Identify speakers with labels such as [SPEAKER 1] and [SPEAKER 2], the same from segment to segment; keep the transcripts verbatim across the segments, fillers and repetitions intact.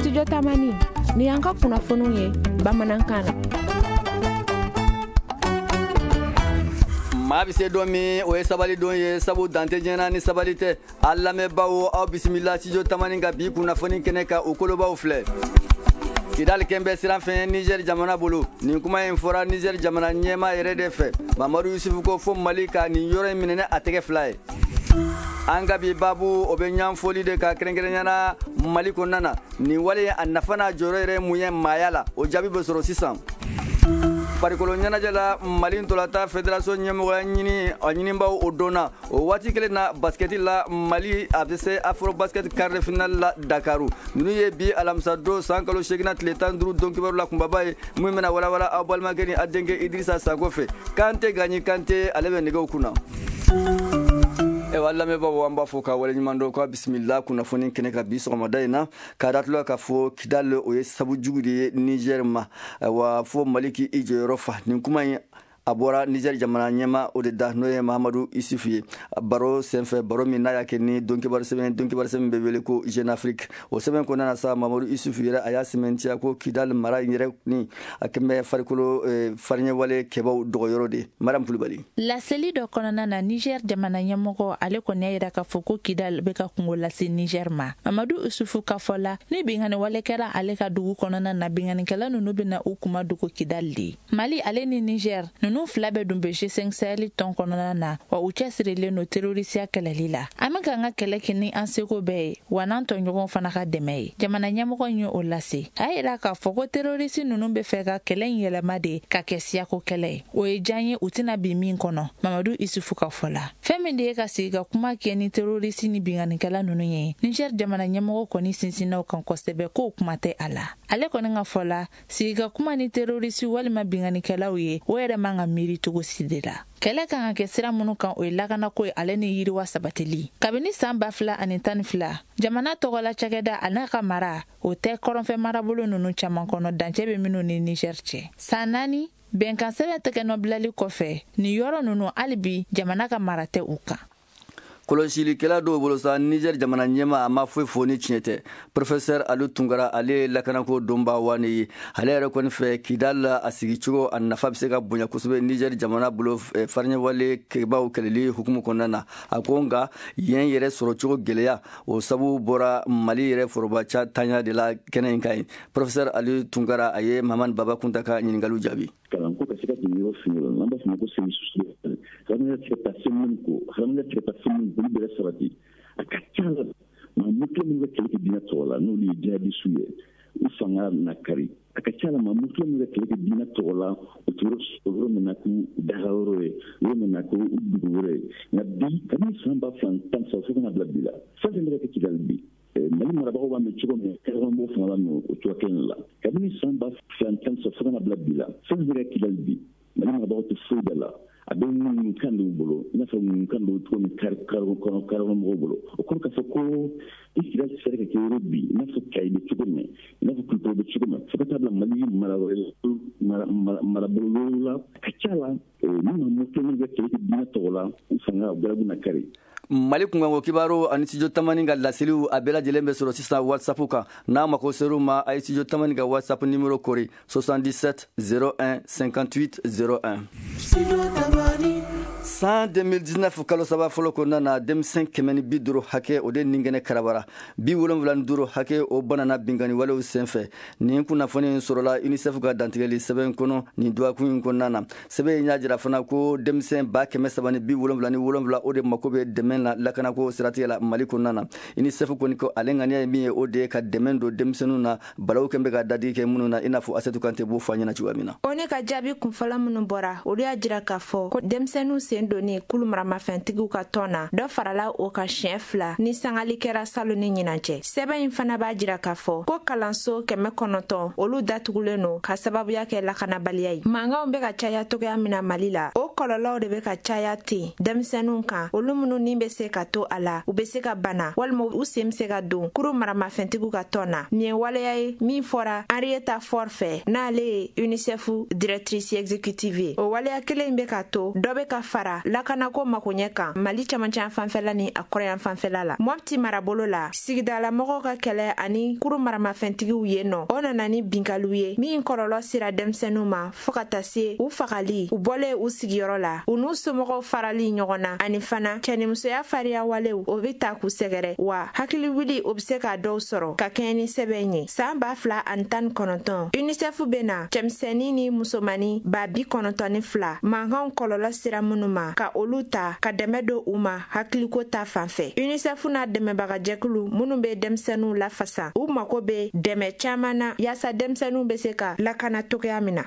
[SPEAKER 1] Studio Tamani, ni y'an ka kunnafoniw ye bamanankan na.
[SPEAKER 2] Maa bɛ se don min, o ye sabali don ye, sabu dante diɲɛ ni sabali tɛ. A lamɛnbaaw, aw bisimila Studio Tamani ka bi kunnafoni kɛnɛ kan, o kolobaw filɛ. Kidali kɛn bɛ siran fɛn Niger jamana bolo. Nin kuma in fɔra Niger jamana ɲɛmaa yɛrɛ de fɛ. Mamadu Yusufu ko fo Mali ka nin yɔrɔ in minɛ ni a tɛgɛ fila ye. An ka bi babu, o bɛ ɲanfoli de ka kɛrɛnkɛrɛnya na Mali kɔnɔna na. Nin wale, a nafa n'a jɔyɔrɔ yɛrɛ mun ye maaya la, o jaabi bɛ sɔrɔ sisan. Farikolo ɲɛnajɛ la, Mali ntolatan fédération ɲɛmɔgɔya ɲini a ɲinibaw o donna. O waati kelen na, basketi la, Mali a bɛ se Afro Basket quart de finale la Dakaru. Ninnu ye bi alamisa don san kalo seegin tile tan duuru don kibaru la kunbaba ye, min bɛna walawala aw balimakɛ ni a denkɛ Idirisa Sako fɛ. Kante Gaɲi Kante, ale bɛ nɛgɛw kunna. Ewa lamɛnbaaw, an b'a fɔ ka waleɲuman dɔn, ka bisimila kunnafoni kɛnɛ ka bi sɔgɔmada in na, k'a datula k'a fɔ Kidali, o ye sabu jugu de ye Niger ma, wa fo Mali k'i jɔyɔrɔ fa. Nin kuma in, a bɔra Niger jamana ɲɛma o de da, n'o ye Mahamadu Isufu ye, baro senfɛ, baro min n'a y'a kɛ ni donkibaru sɛbɛn, donkibaru sɛbɛn bɛ wele ko Jeune Afrique. O sɛbɛn kɔnɔna na sa, Mamadu Isufu yɛrɛ, a y'a sɛmɛntiya ko Kidali mara in yɛrɛ ni a kɛn bɛ farikolo fariɲɛwale kɛbaw dɔgɔyɔrɔ de. Mariam Kulubali.
[SPEAKER 3] Laseli dɔ kɔnɔna na, Niger jamana ɲɛmɔgɔ, ale kɔni y'a yira k'a fɔ ko Kidal bɛ ka kungo lase Niger ma. Mamadu Isufu ka fɔ la, ni binkanni wale kɛra ale ka dugu kɔnɔna na, binkannikɛla ninnu bɛna u kuma dogo Kidal de. Mali ale ni Niger ninnu fila bɛɛ dun bɛ G cinq Sahel tɔn kɔnɔna na, wa u cɛsirilen don terorisiya kɛlɛli la. An bɛ k'an ka kɛlɛ kɛ ni an seko bɛɛ ye, wa n'an tɔɲɔgɔnw fana ka dɛmɛ ye, jamana ɲɛmɔgɔ in ye o lase. A y'a yira k'a fɔ ko terorisi ninnu bɛ fɛ ka kɛlɛ in yɛlɛma de ka kɛ siyako kɛlɛ ye, o ye diya ye, u tɛna bin min kɔnɔ. Mamadu Isufu ka fɔ la, fɛn min de ye ka sigi ka kuma kɛ ni terorisi ni binkannikɛla ninnu ye, Niger jamana ɲɛmɔgɔ kɔni sinsinnaw kan kosɛbɛ k'o kuma tɛ a la. Ale kɔni ka fɔ la, sigi ka kuma ni terorisi walima binkannikɛlaw ye, o yɛrɛ man ka miiri cogo si de la. Kɛlɛ kan ka kɛ sira minnu kan, o ye lakanako ye ale ni yiriwa sabatili. Kabini saan ba fila ani tan ni fila, jamana tɔgɔla cakɛda a n'a ka mara, o tɛ kɔrɔnfɛ marabolo ninnu caaman kɔnɔ, dancɛ bɛ minnu ni Niger cɛ. San naani bɛnkan sɛbɛn tɛgɛnɔbilali kɔfɛ, nin yɔrɔ ninnu, hali bi jamana ka mara tɛ u kan.
[SPEAKER 2] Kɔlɔsilikɛla dɔw bolo sa, Niger jamana ɲɛma, a ma foyi fɔ ni tiɲɛ tɛ. Professeur Alu Tunkara, ale ye lakanako donba wani ye. Ale yɛrɛ kɔni fɛ, Kidal la a sigicogo, a nafa bɛ se ka bonya kosɛbɛ Niger jamana bolo fariɲɛwale kɛbaw kɛlɛli hukumu kɔnɔna na. A ko nka yen yɛrɛ sɔrɔcogo gɛlɛya, o sabu bɔra Mali yɛrɛ foroba ca tanya de la kɛnɛ in kan ye. Professeur Alu Tunkara, a ye Mamani Baba Kunta ka ɲininkaliw jaabi.
[SPEAKER 4] Kalanko ka se ka jigin yɔrɔ fini la, n'an b'a fɔ ma ko service social, hadamadenya tɛ se ka taa fɛn minnu kɔ, hadamadenya tɛ se ka taa fɛn minnu kɔ, olu bɛɛ sabati. A ka ca la, maa mutula minnu bɛ kɛlɛ kɛ diinɛ tɔgɔ la, n'olu ye jihadisiw ye, u fanga na kari. A ka ca la, maa mutula minnu bɛ kɛlɛ kɛ diinɛ tɔgɔ la, u tɛ yɔrɔ min na k'u daga yɔrɔ ye, yɔrɔ min na k'u dugu yɔrɔ ye. Nka bi, kabini san ba fila tan saba fo ka na bila bi la, fɛn fɛn bɛ ka kɛ Kidali bi, Mali marabagaw b'a mɛn cogo min, kɛrɛnkɛrɛnbagaw fana b'a mɛn o cogoya kelen la. Kabini san ba fila tan saba fo ka na bila bi la, fɛn fɛn bɛ ka kɛ Kidali bi, Mali marabagaw tɛ foyi da la. A bɛ ŋunukan dɔw bolo, i n'a fɔ ŋunukan dɔw cogo min kari kɔnɔ kari mɔgɔw bolo. O kɔrɔ k'a fɔ ko i Kidali sera ka kɛ yɔrɔ bi, i n'a fɔ Kayi bɛ cogo min, i n'a fɔ Kulukɔrɔ bɛ cogo min, fo ka taa bila Mali marabolo wɛrɛw la. A ka ca la, ni maa moto minnu bɛ kɛlɛ kɛ diinɛ tɔgɔ la, u fanga garabu na kari.
[SPEAKER 2] Mali kunkanko kibaru ani Studio Tamani ka laseliw, a bɛɛ lajɛlen bɛ sɔrɔ sisan WhatsApp kan. N'a mako ser'u ma, a ye Studio Tamani ka WhatsApp numéro kori soixante-dix-sept zéro un cinquante-huit zéro un. San deux mille dix-neuf kalo saba fɔlɔ kɔnɔna na, denmisɛn kɛmɛ ni bi duuru hakɛ, o de nin kɛnɛ karabara, bi wolonwula ni duuru hakɛ, o banana binkani walew senfɛ. Nin kunnafoni in sɔrɔla UNICEF ka dantigɛli sɛbɛn kɔnɔ nin dɔgɔkun in kɔnɔna na. Sɛbɛn in y'a jira fana ko denmisɛn ba kɛmɛ saba ni bi wolonwula ni wolonwula, o de mako bɛ dɛmɛ la lakanako siratigɛ la Mali kɔnɔna na. UNICEF kɔni ko ale ŋaniya ye min ye, o de ye ka dɛmɛ don denmisɛnninw na, balawu kɛn bɛ ka dadigi kɛ minnu na, i n'a fɔ Asetu Kante b'o fɔ an ɲɛna cogoya min na.
[SPEAKER 5] O ka jaabi kunfɔlɔ minnu bɔra, olu y'a jira k'a fɔ ko denmisɛnninw sen donni kulu maramafɛntigiw ka tɔn na, dɔ farala o kan siɲɛ fila ni sangali kɛra salo ni ɲinan cɛ. Sɛbɛn in fana b'a jira k'a fɔ ko kalanso kɛmɛ kɔnɔntɔn, olu datugulen don ka sababuya kɛ lakanabaliya ye. Mankanw bɛ ka caya togoya min na Mali la, o kɔlɔlɔw de bɛ ka caya ten denmisɛnninw kan, olu minnu ni bɛ se ka to a la, u bɛ se ka bana walima u sen bɛ se ka don kuru maramafɛntigiw ka tɔn na. Nin ye waleya ye min fɔra Henrietta Fore fɛ, n'ale ye UNICEF directrice exécutive ye. O waleya kelen in bɛ ka to dɔ bɛ ka fara la lakanako makoɲɛ kan Mali camancɛ fanfɛla ni a kɔrɔyan fanfɛla la. Mɔpti marabolo la, sigidalamɔgɔw ka kɛlɛ ani kuru maramafɛntigiw yen nɔ, o nana ni binkaliw ye min kɔlɔlɔ sera denmisɛnninw ma fɔɔ ka taa se u fagali, u bɔlen u sigiyɔrɔ la, u n'u somɔgɔw farali ɲɔgɔn na, ani fana cɛnimusoya fariya walew o bɛ ta k'u sɛgɛrɛ, wa hakili wuli o bɛ se ka dɔw sɔrɔ ka kɛɲɛ ni sɛbɛn ye. San ba fila ani tan ni kɔnɔntɔn, UNICEF bɛna cɛmisɛnnin ni musomannin ba bi kɔnɔntɔn ni fila mankanw kɔlɔlɔ sera minnu ma ka olu ta ka dɛmɛ don u ma hakiliko ta fan fɛ. UNICEF n'a dɛmɛbagajɛkulu minnu bɛ denmisɛnninw lafasa, u mako bɛ dɛmɛ caman na yaasa denmisɛnninw bɛ se ka lakana cogoya min na.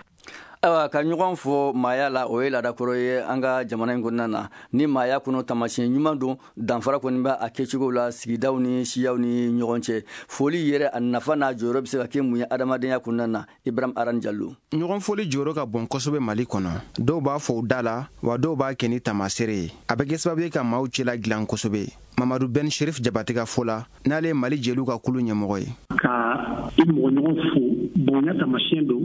[SPEAKER 2] Ayiwa, ka ɲɔgɔn fɔ maaya la, o ye laadakɔrɔ ye an ka jamana in kɔnɔna na. Ni maaya kɔnɔ taamasiyɛn ɲuman don, danfara kɔni b'a a kɛcogo la sigidaw ni siyaw ni ɲɔgɔn cɛ. Foli yɛrɛ a nafa n'a jɔyɔrɔ bɛ se ka kɛ mun ye adamadenya kɔnɔna na? Ibrahim Aran Jalo.
[SPEAKER 6] Ɲɔgɔn foli jɔyɔrɔ ka bon kosɛbɛ Mali kɔnɔ. Dɔw b'a fɔ u da la, wa dɔw b'a kɛ ni taamasere ye. A bɛ kɛ sababu ye ka maaw cɛla dilan kosɛbɛ. Mamadu Ben Sherif Jabate ka fɔ la, n'ale ye Mali jeliw ka kulu ɲɛmɔgɔ ye.
[SPEAKER 7] Ka i mɔgɔɲɔgɔn fo, bonya taamasiyɛn don,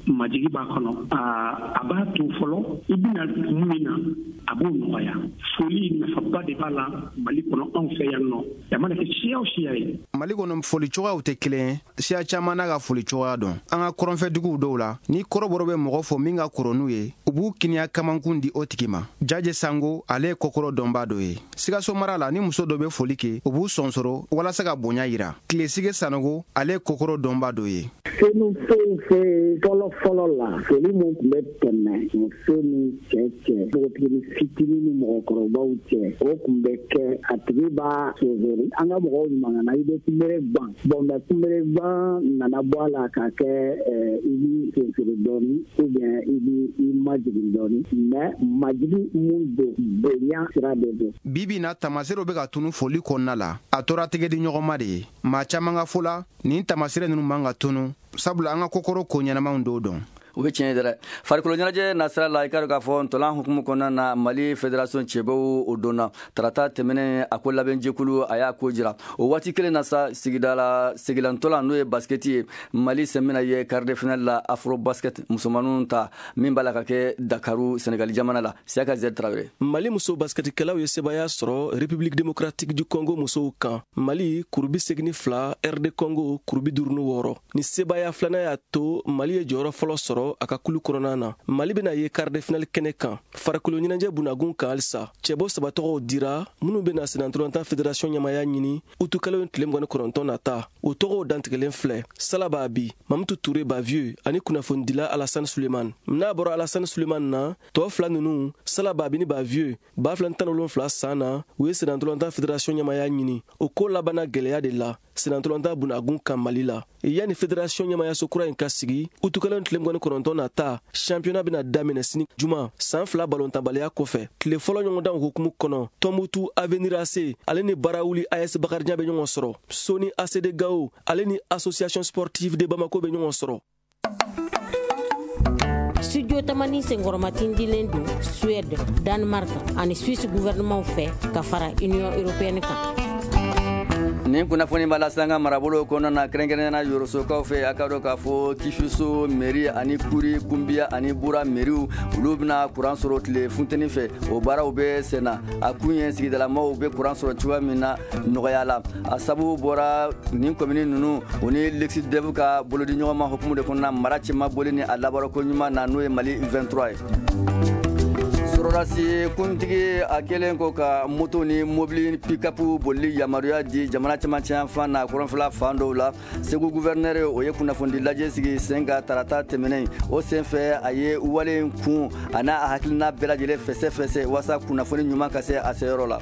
[SPEAKER 7] majigi b'a kɔnɔ. A b'a to fɔlɔ i bɛna kun min na, a b'o nɔgɔya. Foli nafaba de b'a la Mali kɔnɔ, anw fɛ yan nɔ, a mana kɛ siya o siya ye.
[SPEAKER 6] Mali kɔnɔ foli cogoyaw tɛ kelen ye, siya caman n'a ka foli cogoya dɔn. An ka kɔrɔnfɛduguw dɔw la, ni kɔrɔbɔrɔ bɛ mɔgɔ fɔ min ka kɔrɔ n'u ye, u b'u kiniya kamankun di o tigi ma. Jaje Sango, ale ye kɔkɔrɔ dɔnbaa dɔ ye. Sikaso mara la, ni muso dɔ bɛ foli kɛ, u b'u sɔnsɔrɔ walasa ka bonya yira. Tilesige Sanogo, ale ye kɔkɔrɔ dɔnbaa dɔ ye.
[SPEAKER 8] Senufow fɛ fɔlɔ fɔlɔ la, foli mun tun bɛ tɛmɛ muso ni cɛ cɛ, npogotigini fitinin ni mɔgɔkɔrɔbaw cɛ, o tun bɛ kɛ a tigi b'a sonsori. An ka mɔgɔw ɲuman i bɛ kunbere ban, bɔn mɛ kunbere ban nana bɔ a la k'a kɛ i b'i sonsori dɔɔni ou bien i b'i majigin dɔɔni, mɛ majigin mun don, bonya sira de don.
[SPEAKER 6] Bi bi in na, taamasere bɛ ka tunu foli kɔnɔna la. A tora tɛgɛ di ɲɔgɔn ma de ye. Maa caman ka fɔ la, nin taamasere ninnu man ka tunu, sabula an ka kokɔrɔ ko ɲɛnamaw dɔw dɔn.
[SPEAKER 2] O bɛ tiɲɛ dɛ. Farikolo ɲɛnajɛ nasira la, i ka dɔn k'a fɔ ntolan hukumu kɔnɔna na, Mali fédération cɛbaw o donna tarata tɛmɛnen, a ko labɛnjɛkulu a y'a ko jira. O waati kelen na sa, sigida la sigilantolan n'o ye basketi ye, Mali sen bɛna ye quart de finale la afro basket musomaninw ta min b'a la ka kɛ Dakaru Senegali jamana la. Siyaka Z Traoré.
[SPEAKER 9] Mali muso basketikɛlaw ye sebaaya sɔrɔ République démocratique du Congo musow kan. Mali kuru bi segin ni fila, R D Congo kuru bi duuru ni wɔɔrɔ. Ni sebaaya filanan y'a to Mali ye jɔyɔrɔ fɔlɔ sɔrɔ a ka kulu kɔnɔna na. Mali bɛna ye quart de finale kɛnɛ kan. Farikolo ɲɛnajɛ bunagun kan halisa, cɛbɔ saba tɔgɔw dira minnu bɛna senatɔlɔntan fédération ɲɛmaya ɲini utukalo tile mugan ni kɔnɔntɔn nata. O tɔgɔw dantigɛlen filɛ: Salaba Abi, Mamutu Ture Bavieux ani kunnafonidila Alassane Suleiman. N'a bɔra Alassane Suleiman na, tɔ fila ninnu, Salaba Abi ni Bavieux, ba fila ni tan ni wolonfila san na, u ye senatɔlɔntan fédération ɲɛmaya ɲini. O ko labanna gɛlɛya de la senatɔlɔntan bunagun kan Mali la. Yanni fédération ɲɛmayaso kura in ka sigi utukalo tile mugan ni kɔnɔntɔn nata, championnat bɛna daminɛ sini juma, san fila balontanbaliya kɔfɛ. Tile fɔlɔ ɲɔgɔndanw hukumu kɔnɔ, Tɔnbutu Avenir A C ale ni Barawuli A S Bakarijan bɛ ɲɔgɔn sɔrɔ. Soni A C D Gao ale ni Association sportive de Bamako bɛ ɲɔgɔn sɔrɔ.
[SPEAKER 10] Studio Tamani senkɔrɔmatindilen don Suède, Danemark ani Suisse gouvernement fɛ ka fara Union européenne kan.
[SPEAKER 2] Nin kunnafoni b'a lase an ka marabolo kɔnɔna na, kɛrɛnkɛrɛnnenya Yorosokaw fɛ. A ka dɔn k'a fɔ Kifiso mairie ani Kuri, Kunbiya ani Bura mairiew, olu bɛna kuran sɔrɔ tile funteni fɛ. O baaraw bɛ sen na. A kun ye sigidalamaw bɛ kuran sɔrɔ cogoya min na nɔgɔya la. A sababu bɔra nin commune ninnu, o ni Lexidef ka bolodi ɲɔgɔnma hukumu de kɔnɔna, mara cɛma boli ni a labaarako ɲuman na, n'o ye Mali vingt-trois ye. Sɔrɔdasi kuntigi a kɛlen ko ka moto ni mobili pick-up bolili yamaruya di jamana cɛmancɛ yanfan na kɔrɔnfɛla fan dɔw la. Segu gouverneur, o ye kunnafonidi lajɛ sigi sen ka tarata tɛmɛnen. O senfɛ, a ye wale in kun a n'a a hakilina bɛɛ lajɛlen fɛsɛ fɛsɛ walasa kunnafoni ɲuman ka se a seyɔrɔ la.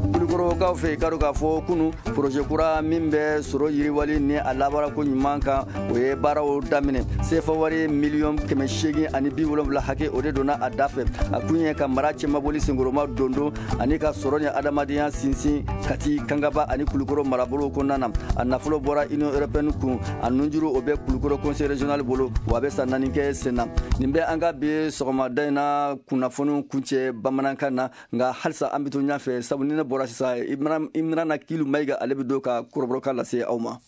[SPEAKER 2] Kulukɔrɔkaw fɛ, i ka dɔn k'a fɔ kunu, projet kura min bɛ sɔrɔ yiriwali ni a labaarako ɲuman kan, o ye baaraw daminɛ. Sefa wari miliyɔn kɛmɛ seegin ani bi wolonwula hakɛ, o de donna a da fɛ. A kun ye ka mara cɛmaboli senkɔrɔma dondon ani ka sɔrɔ ni adamadenya sinsin Kati, Kangaba ani Kulukɔrɔ marabolo kɔnɔna na. A nafolo bɔra Union européenne kun. A nunjuru, o bɛ Kulukɔrɔ conseil régional bolo, wa a bɛ san naani kɛ sen na. Nin bɛ an ka bi sɔgɔmada in na kunnafoniw kuncɛ bamanankan na. Nka halisa an bɛ to ɲɛfɛ, sabu ni ne bɔra sisan, Imrana Kilu Mayiga, ale bɛ don ka kɔrɔbɔrɔkan lase aw ma.